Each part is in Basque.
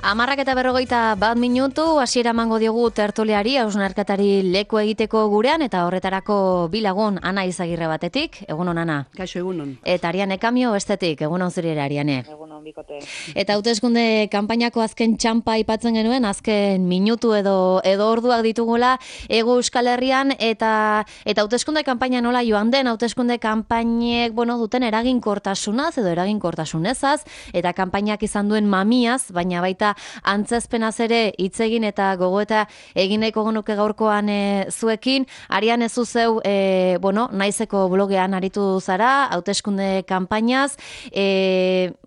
10:41 hasiera emango diogu tertuliari, hausnarketari leku egiteko gurean, eta horretarako bi lagun, Ana Izagirre batetik, egunon Ana. Kaixo, egunon. Eta Ariane Kamio bestetik, egunon zuri ere Ariane. Egunon bikote. Eta hauteskunde kanpainako azken txanpa aipatzen genuen, azken minutu edo orduak ditugula Hego Euskal Herrian, eta hauteskunde kanpaina nola joan den, hauteskunde kanpainek, duten eraginkortasunaz edo eraginkortasunezaz, eta kanpainak izan duen mamiaz, baina baita antzezpenaz ere hitz egin eta gogoeta egineko genuke gaurkoan zuekin. Arian ez zeu, naizeko blogean aritu zara, hauteskunde kanpainaz,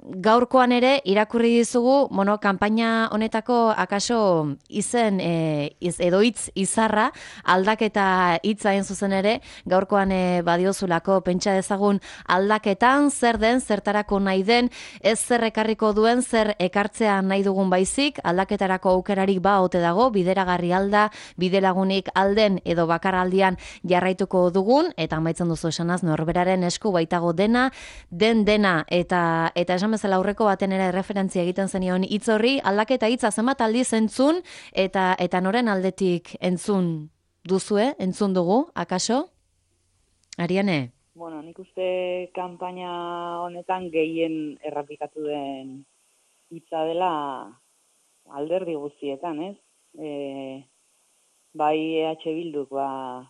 gaurkoan ere irakurri dizugu, kanpaina honetako akaso izen edo hitz izarra, aldaketa hitza hain zuzen ere, gaurkoan badiozulako pentsa dezagun aldaketan, zer den, zertarako nahi den, ez zer ekarriko duen, zer ekartzea nahi dugun baizik, aldaketarako aukerarik ote dago, bideragarri alda, bidelagunik alden edo bakarraldian jarraituko dugun, eta amaitzen duzu esanaz, norberaren esku baitago dena, dena, eta esan bezala aurreko baten ere referentzia egiten zenion hitz horri, aldaketa hitza zenbat aldiz entzun, eta noren aldetik entzun duzue, entzun dugu, akaso? Ariane? Nik uste kanpaina honetan gehien errapikatu den hitza dela alderdi guztietan, ez? Bai EH Bilduk, duela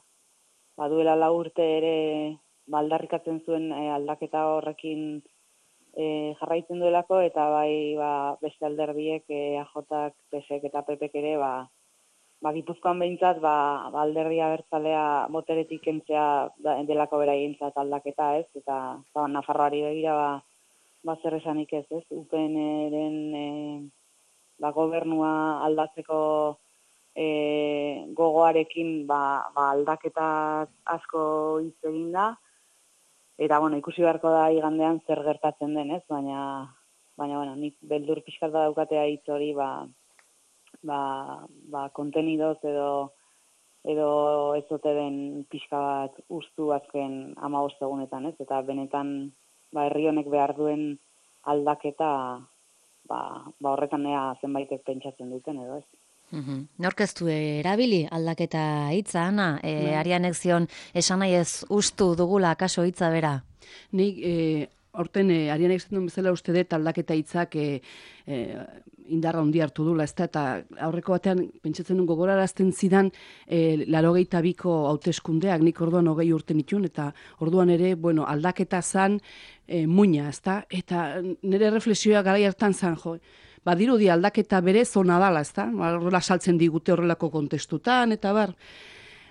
4 urte ere aldarrikatzen zuen aldaketa horrekin jarraitzen duelako, eta bai beste alderdiek, AJak, PSek eta PPek ere, Gipuzkoan behintzat, alderdi abertzalea boteretik kentzea delako beraientzat aldaketa, ez? Eta Nafarroari begira, zer esanik ez, ez? UPNren gobernua aldatzeko gogoarekin aldaketa asko hitz egin da, eta ikusi beharko da igandean zer gertatzen den, ez? Baina nik beldur pixkat daukatea hitz hori, kontenidoz edo ez ote den pixka bat ustu azken 15 egunetan, ez? Eta benetan herri honek behar duen aldaketa horretan ea zenbaitek pentsatzen duten edo, ez? Nork ez du erabili aldaketa hitza, Ana? Arianek zion esan nahi ez ustu dugula akaso hitza bera? Nik horten Arianek esaten duen bezala uste dut aldaketa hitzak indarra handi hartu dula, ezta, eta aurreko batean pentsatzen duen gogorarazten zidan 82ko hauteskundeak, nik orduan 20 urte nituen, eta orduan ere, aldaketa zan muina, ezta, eta nire reflexioa garai hartan zan, badirudi aldaketa bere zona dala, ezta, horrela saltzen digute horrelako kontestutan, eta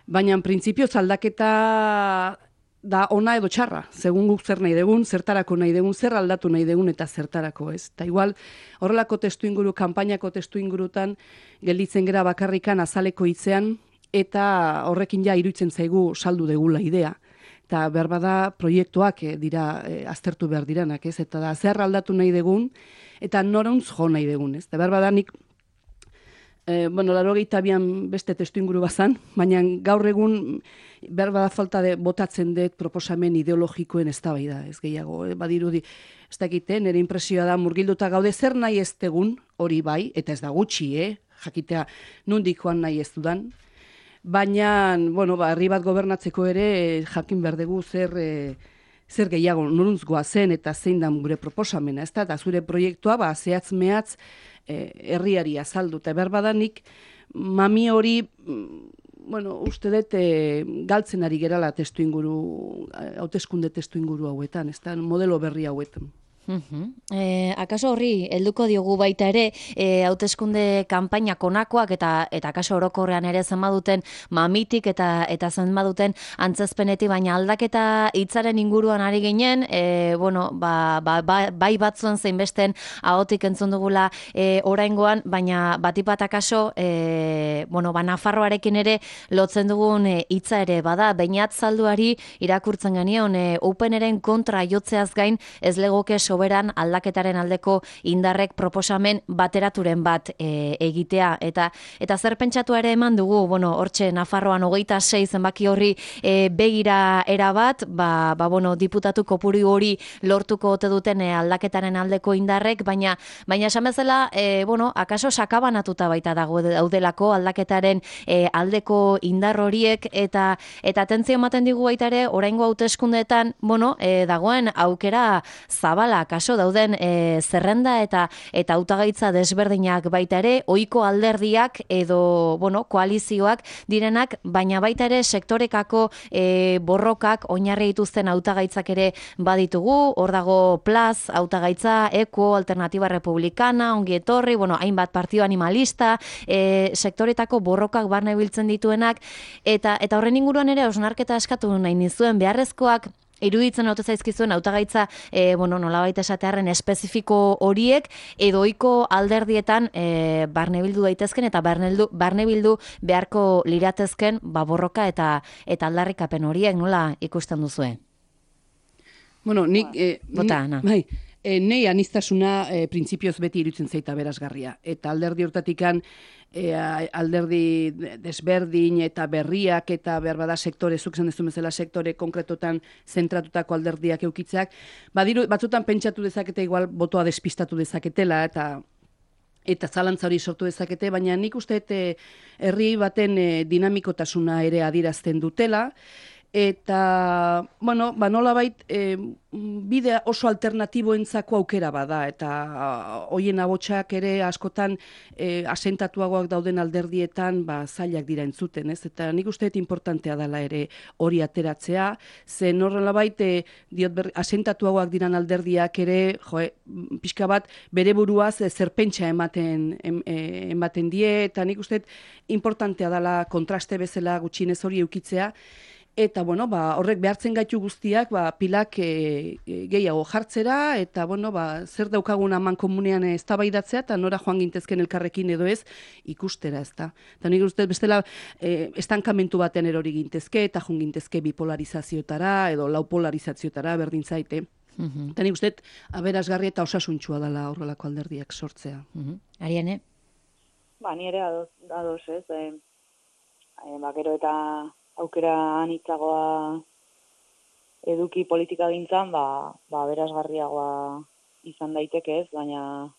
baina printzipioz aldaketa da ona edo txarra, segun guk zer nahi dugun, zertarako nahi dugun, zer aldatu nahi dugun eta zertarako, ez? Eta igual, horrelako testuinguru, kanpainako testuingurutan gelditzen gera bakarrikan azaleko hitzean, eta horrekin iruditzen zaigu saldu degula idea. Eta behar bada proiektuak dira aztertu behar diranak, ez? Eta da zer aldatu nahi dugun, eta noruntz jo nahi dugun, ez? Eta behar bada nik 82an beste testuinguru bazan, baina gaur egun behar bada falta botatzen dut proposamen ideologikoen eztabaida, ez gehiago, badirudi, ez dakite, nire impresioa da murgilduta gaude zer nahi ez tegun, hori bai, eta ez da gutxi, jakitea nundikoan nahi ez dudan, baina, herri bat gobernatzeko ere jakin behar dugu zer gehiago noruntz goazen eta zein da gure proposamena, ez da, eta zure proiektua, zehatz mehatz, herriari azaldu, eta berbadanik mami hori, uste dut galtzen ari gerala hauteskunde testuinguru hauetan, ez da, modelo berri hauetan. Akaso horri helduko diogu baita ere hauteskunde kanpaina konakoak eta akaso orokorrean ere zenbaduten mamitik eta zenbaduten antzezpenetik, baina aldaketa hitzaren inguruan ari ginen, bai batzuen zein besten ahotik entzun dugula oraingoan, baina batipat akaso Nafarroarekin ere lotzen dugun hitza ere bada, Beñat Zalduari irakurtzen genion UPNren kontra jotzeaz gain ez legoke soberan aldaketaren aldeko indarrek proposamen bateraturen bat egitea. Eta zer pentsatu ere eman dugu, hortxe Nafarroan 26 zenbaki horri begira erabat, diputatu kopuru hori lortuko ote duten aldaketaren aldeko indarrek, baina esan bezala, akaso sakabanatuta baita daudelako aldaketaren aldeko indar horiek, eta atentzio ematen digu baita ere, oraingo hauteskundeetan, dagoen aukera zabala, kaso dauden zerrenda eta hautagaitza desberdinak baita ere, ohiko alderdiak edo, koalizioak direnak, baina baita ere sektorekako borrokak oinarri dituzten hautagaitzak ere baditugu, hor dago Plaz, hautagaitza, Eko, Alternatiba Republicana, ongi etorri, hainbat partido animalista, sektoretako borrokak barne biltzen dituenak, eta horren inguruan ere osnarketa eskatu nahi nizuen, beharrezkoak iruditzen ote zaizkizuen hautagaitza nolabait esatearren espezifiko horiek edo ohiko alderdietan barnebildu daitezken eta barnebildu beharko liratezken borroka eta aldarrikapen horiek nola ikusten duzue? Nei aniztasuna printzipioz beti iruditzen zaita berazgarria. Eta alderdi hortatikan alderdi desberdin eta berriak eta behar bada sektore, zuk zen dezu bezala sektore konkretotan zentratutako alderdiak eukitzeak, batzutan pentsatu dezakete igual botoa despistatu dezaketela eta zalantza hori sortu dezakete, baina nik uste herri baten dinamikotasuna ere adierazten dutela, eta, nolabait, bide oso alternatiboentzako aukera bada, eta hoien abotsak ere askotan asentatuagoak dauden alderdietan zailak dira entzuten, ez? Eta nik uste importantea dela ere hori ateratzea, zen nolabait asentatuagoak diran alderdiak ere, pixka bat, bere buruaz zerpentsa ematen die, eta nik uste importantea dela kontraste bezala gutxienez hori eukitzea, eta, horrek behartzen gaitu guztiak, pilak gehiago jartzera, eta, zer daukagun aman komunean eztabaidatzea, eta nora joan gintezken elkarrekin edo ez, ikustera, ez da. Eta nik uste bestela, estankamentu baten erori gintezke, eta joan gintezke bipolarizazioetara, edo laupolarizazioetara, berdin zaite. Eta nik uste, aberasgarri eta osasuntxua dela horrelako alderdiak sortzea. Ariane? Ni ere ados, ez. Gero eta aukera anitzagoa eduki politika gintzan, berazgarriagoa izan daiteke ez, baina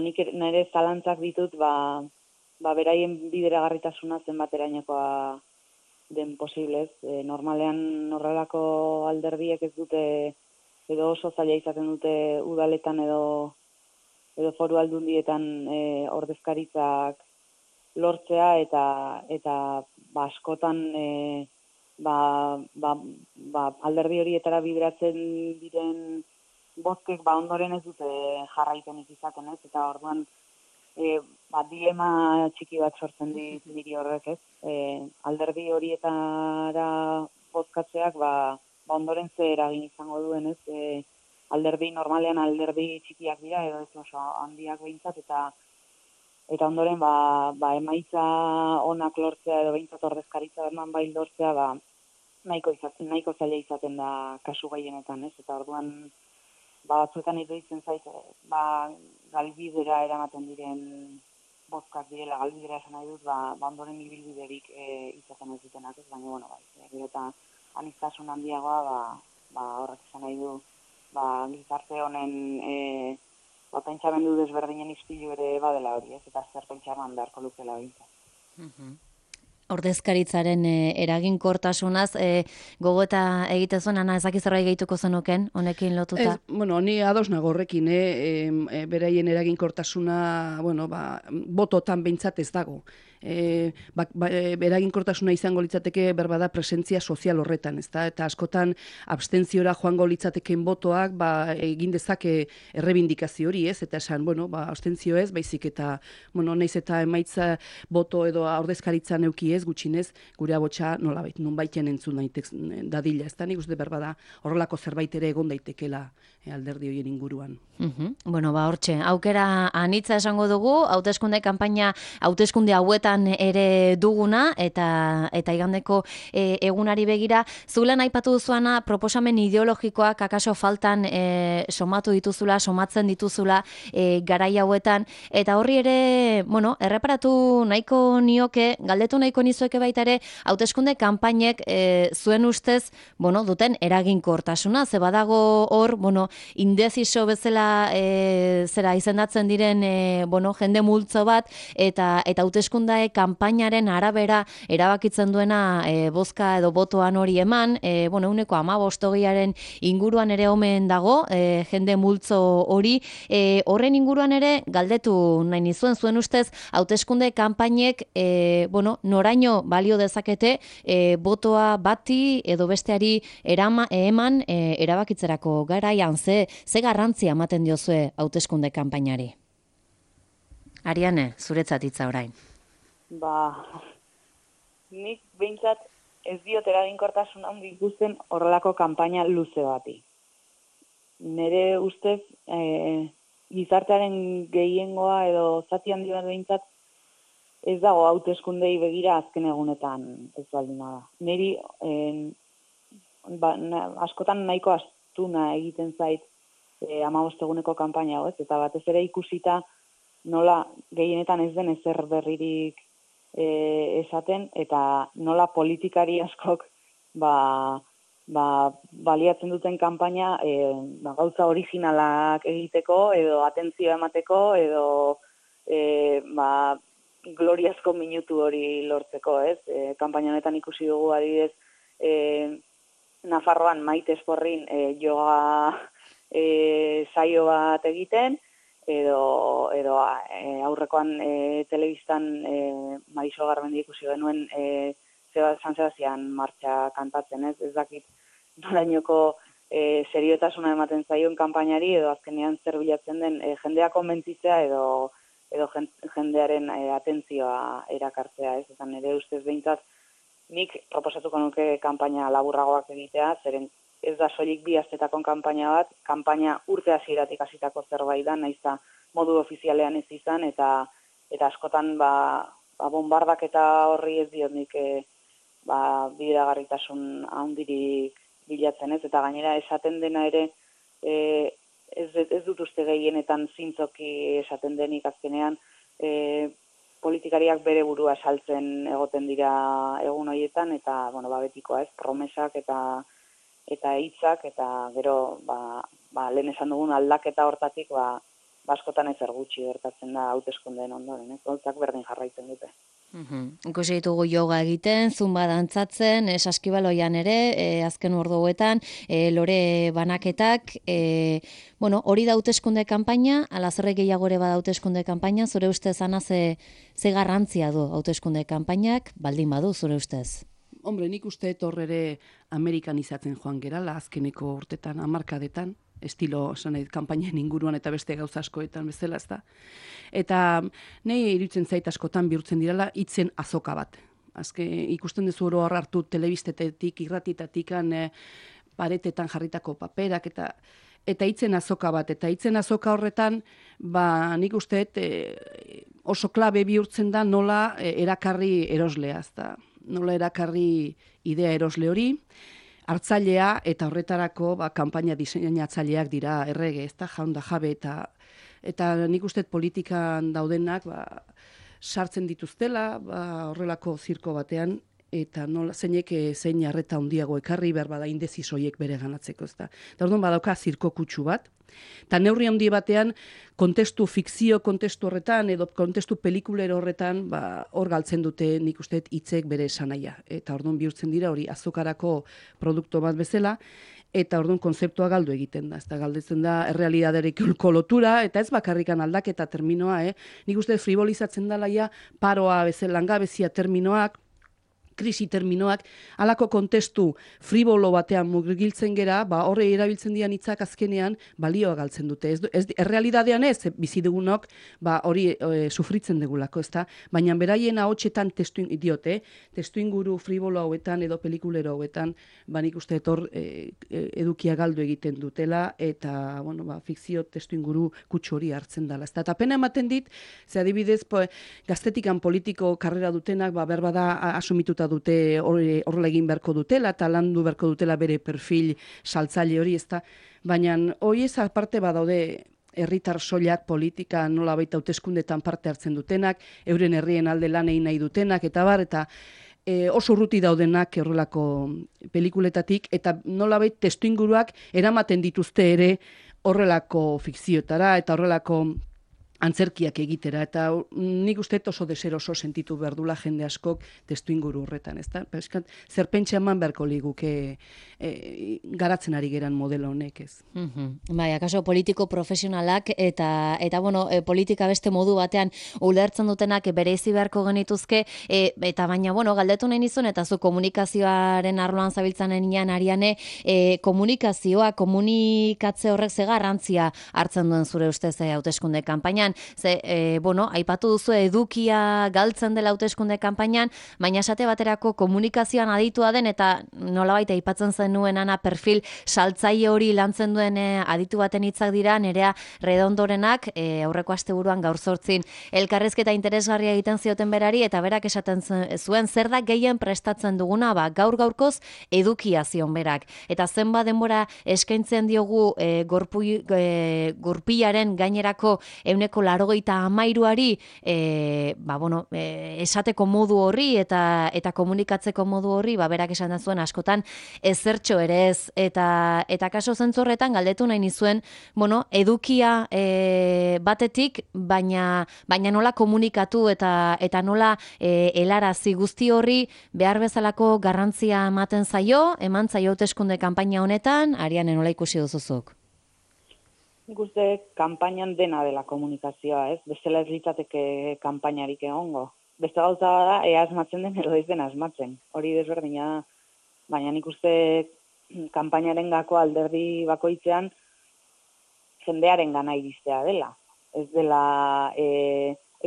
nik nire zalantzak ditut, beraien bideragarritasuna zenbaterainokoa den posiblez. Normalean horrelako alderdiek ez dute, edo oso zaila izaten dute udaletan edo foru aldundietan ordezkaritzak lortzea, eta askotan alderdi horietara bideratzen diren bozkek ondoren ez dute jarraipenik izaten, ez? Eta orduan dilema txiki bat sortzen diri horrek, ez? Alderdi horietara bozkatzeak ondoren ze eragin izango duen, ez? Normalean alderdi txikiak dira, edo ez oso handiak behintzat, eta ondoren emaitza onak lortzea edo behintzat ordezkaritza eman bai lortzea nahiko zaila izaten da kasu gehienetan, ez? Eta orduan batzuetan iruditzen zait galbidera eramaten diren bozkak direla, galbidera esan nahi dut, ondoren ibilbiderik izaten ez dutenak, ez? Baina, gero eta aniztasun handiagoa horrek esan nahi du gizarte honen pentsamendu desberdinen ispilu ere badela hori, ez? Eta zer pentsaman beharko lukela bintzat. Ordezkaritzaren eraginkortasunaz, gogoeta egite zuen, Ana, ezaki zerbait gehituko zenuken, honekin lotuta? Ni ados nago horrekin, beraien eraginkortasuna, bototan behintzat ez dago. Eraginkortasuna izango litzateke berbada presentzia sozial horretan, ezta? Eta askotan abstentziora joango litzateken botoak egin dezake errebindikazio hori, ez? Eta esan, abstentzio ez, baizik eta, naiz eta emaitza boto edo ordezkaritzan euki ez, gutxinez, gure abotsa nonbaiten entzun daitek dadila, ezta? Nik uste berbada horrelako zerbait ere egon daitekela alderdi horien inguruan. Bueno, hortxe, aukera anitza esango dugu, hauteskunde hauetan ere duguna, eta igandeko egunari begira, zulen aipatu duzuana, proposamen ideologikoak akaso faltan somatzen dituzula garai hauetan, eta horri ere, bueno, erreparatu nahiko nioke, galdetu nahiko nizueke baita ere, hauteskunde kanpainek zuen ustez, bueno, duten eraginkortasuna, ze badago hor, bueno, indeciso bezala zera izendatzen diren jende multzo bat eta hauteskunde kanpainaren arabera erabakitzen duena bozka edo botoan hori eman, 15-20aren inguruan ere omen dago jende multzo hori, horren inguruan ere galdetu nahi nizuen, zuen ustez hauteskunde kanpainek noraino balio dezakete botoa bati edo besteari eman erabakitzerako garaian, ze garrantzia ematen diozue hauteskunde kanpainari? Ariane, zuretzat hitza orain. Nik behintzat ez diot eraginkortasun handi ikusten horrelako kanpaina luze bati. Nire ustez, gizartearen gehiengoa edo zati handi bat behintzat ez dago hauteskundei begira azken egunetan ez baldin da. Niri askotan nahiko astuna egiten zait 15 eguneko kanpaina hau, eta batez ere ikusita nola gehienetan ez den ezer berririk esaten, eta nola politikari askok baliatzen duten kanpaina gauza originalak egiteko, edo atentzioa emateko, edo gloriazko minutu hori lortzeko, ez? Kanpaina honetan ikusi dugu adibidez Nafarroan Maite Esporrin yoga saio bat egiten, edo aurrekoan telebistan Mariso Garmendi ikusi genuen San Sebastian martxa kantatzen, ez dakit norainoko seriotasuna ematen zaion kanpainari, edo azkenean zer bilatzen den jendea konbentzitzea edo jendearen atentzioa erakartzea, ez? Eta nire ustez behintzat nik proposatuko nuke kanpaina laburragoak egitea, zeren ez da soilik 2 astetako kanpaina bat, kanpaina urte hasieratik hasitako zerbait da, nahiz eta modu ofizialean ez izan, eta askotan bombardak eta horri ez diot nik bideragarritasun handirik bilatzen, ez? Eta gainera esaten dena ere ez dut uste gehienetan zintzoki esaten denik azkenean, politikariak bere burua saltzen egoten dira egun horietan, eta betikoa, ez? Promesak eta hitzak, eta gero lehen esan dugun aldaketa hortatik askotan ezer gutxi gertatzen da hauteskundeen ondoren, ez? Gauzak berdin jarraitzen dute. Ikusi ditugu yoga egiten, zumba dantzatzen, saskibaloian ere, azken orduetan, lore banaketak, hori da hauteskunde kanpaina, ala zer gehiago ere bada hauteskunde kanpaina, zure ustez ana ze garrantzia du hauteskunde kanpainak, baldin badu zure ustez? Hombre, nik uste hor ere amerikanizatzen joan gerala, azkeneko urtetan, hamarkadetan, estilo kanpainen inguruan eta beste gauza askoetan bezala, ez da. Eta nahi iruditzen zait askotan bihurtzen direla hitzen azoka bat. Ikusten duzu oro hartu telebistetetik, irratitatik, paretetan jarritako paperak, eta hitzen azoka bat. Eta hitzen azoka horretan, nik uste oso klabe bihurtzen da nola erakarri eroslea, ez da. Nola erakarri idea erosle hori, hartzailea eta horretarako kanpaina diseinatzaileak dira errege, ez da, jaun da jabe, eta nik uste politikan daudenak sartzen dituztela horrelako zirko batean, eta zeinek zein arreta handiago ekarri behar bada indezisoiek bere ganatzeko, ez da. Eta orduan badauka zirko kutsu bat, eta neurri handi batean fikzio kontestu horretan, edo kontestu pelikulero horretan, hor galtzen dute nik uste hitzek bere esanaia. Eta orduan bihurtzen dira hori azokarako produktu bat bezala, eta orduan konzeptua galdu egiten da. Ez da galdetzen da errealidaderekiko lotura, eta ez bakarrikan aldaketa terminoa, nik uste frivolizatzen dela ja paroa bezala langabezia terminoak, krisi terminoak, halako kontestu fribolo batean murgiltzen gera, horre erabiltzen dian hitzak azkenean balioa galtzen dute. Errealidadean ez, bizi dugunok, hori sufritzen dugulako, ezta? Baina beraien ahotsetan testu inguru fribolo hauetan edo pelikulero hauetan, nik uste etor edukia galdu egiten dutela, eta, fikzio testu inguru kutsu hori hartzen dela. Eta pena ematen dit, ze adibidez, gaztetikan politiko karrera dutenak, berbada asumituta dute horrela egin beharko dutela, eta landu beharko dutela bere perfil saltzaile hori, ezta? Baina hori ez aparte badaude herritar soilak politika nolabait hauteskundetan parte hartzen dutenak, euren herrien alde lan egin nahi dutenak, eta oso urruti daudenak horrelako pelikuletatik, eta nolabait testuinguruak eramaten dituzte ere horrelako fikzioetara, eta horrelako antzerkiak egitera, eta nik uste oso deseroso sentitu behar dula jende askok testu inguru horretan, ezta? Zer pentsa eman beharko liguke garatzen ari geran modelo honek, ez? Bai, akaso politiko profesionalak eta politika beste modu batean ulertzen dutenak bereizi beharko genituzke, eta baina, galdetu nahi nizun, eta zu komunikazioaren arloan zabiltzanen ian Ariane, komunikatze horrek ze garrantzia hartzen duen zure ustez hauteskunde kanpainan. Aipatu duzu edukia galtzen dela hauteskunde kanpainan, baina esate baterako komunikazioan aditua den eta nolabait aipatzen zenuen Ana perfil saltzaile hori lantzen duen aditu baten hitzak dira Nerea Redondorenak aurreko asteburuan gaur 8 elkarrizketa interesgarria egiten zioten berari eta berak esaten zuen zer da gehien prestatzen duguna, gaur-gaurkoz edukia zion berak. Eta zenbat denbora eskaintzen diogu gurpilaren gainerako 83%ari esateko modu horri eta komunikatzeko modu horri, berak esan zuen askotan ezertxo ere ez, eta kaso zentzu horretan galdetu nahi nizuen, edukia batetik, baina nola komunikatu eta nola helarazi guzti horri behar bezalako garrantzia ematen eman zaio hauteskunde kanpaina honetan, Ariane nola ikusi duzuzuk? Nik uste kanpainan dena dela komunikazioa, ez? Bestela ez litzateke kanpainarik egongo. Beste gauza da, ea asmatzen den edo ez den asmatzen. Hori desberdina da. Baina nik uste kanpainaren gako alderdi bakoitzean jendearen gana iristea dela. Ez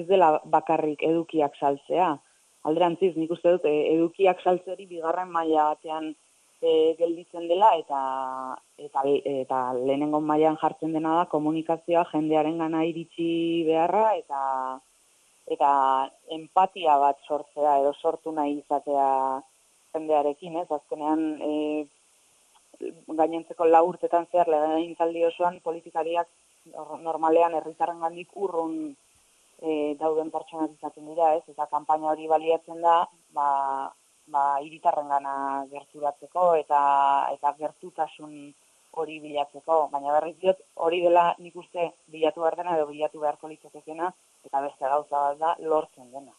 dela bakarrik edukiak saltzea. Alderantziz, nik uste dut edukiak saltze hori bigarren maila batean gelditzen dela eta lehenengo mailan jartzen dena da komunikazioa jendearen gana iritsi beharra eta empatia bat sortzea edo sortu nahi izatea jendearekin, ez? Azkenean gainontzeko 4 urtetan zehar legegintzaldi osoan politikariak normalean herritarrengandik urrun dauden pertsonak izaten dira, ez? Eta kanpaina hori baliatzen da, hiritarrengana gerturatzeko eta gertutasun hori bilatzeko, baina berriz diot hori dela nik uste bilatu behar dena edo bilatu beharko litzatekeena eta beste gauza bat da lortzen dena.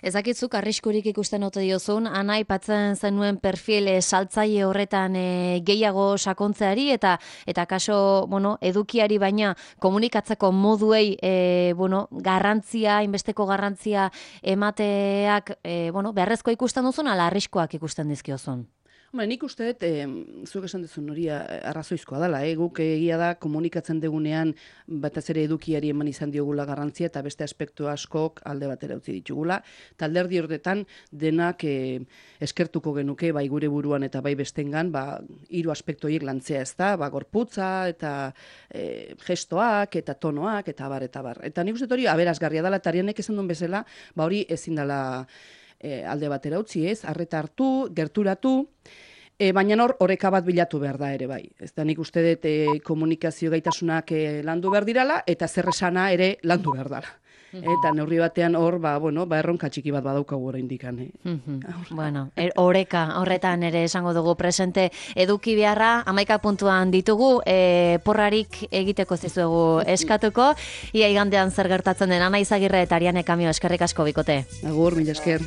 Ezakitzuk arriskurik ikusten ote diozun, Ana aipatzen zenuen perfil saltzaile horretan gehiago sakontzeari eta kaso, edukiari baina komunikatzeko moduei inbesteko garrantzia emateak, beharrezko ikusten duzun ala arriskoak ikusten dizkiozun? Nik uste dut, zuek esan duzun hori arrazoizkoa dela, guk egia da komunikatzen degunean batez ere edukiari eman izan diogula garrantzia eta beste aspektu askok alde batera utzi ditugula. Eta alderdi horretan denak eskertuko genuke bai gure buruan eta bai bestengan 3 aspektu horiek lantzea, ez da, gorputza eta gestoak eta tonoak eta bar. Eta nik uste dut hori aberasgarria dela eta Arianek esan duen bezala, hori ezin dela alde batera utzi, ez? Arreta hartu, gerturatu, baina oreka bat bilatu behar da ere bai. Ez da nik uste dut komunikazio gaitasunak landu behar dirala eta zer esana ere landu behar dela. Eta neurri batean hor, erronka txiki bat badaukagu oraindik. Oreka, horretan ere esango dugu presente eduki beharra, 11 puntuan ditugu, porrarik egiteko zizuegu eskatuko, ia igandean zer gertatzen den Ana Izagirre eta Ariane Kamio eskerrik asko bikote. Agur, mila esker.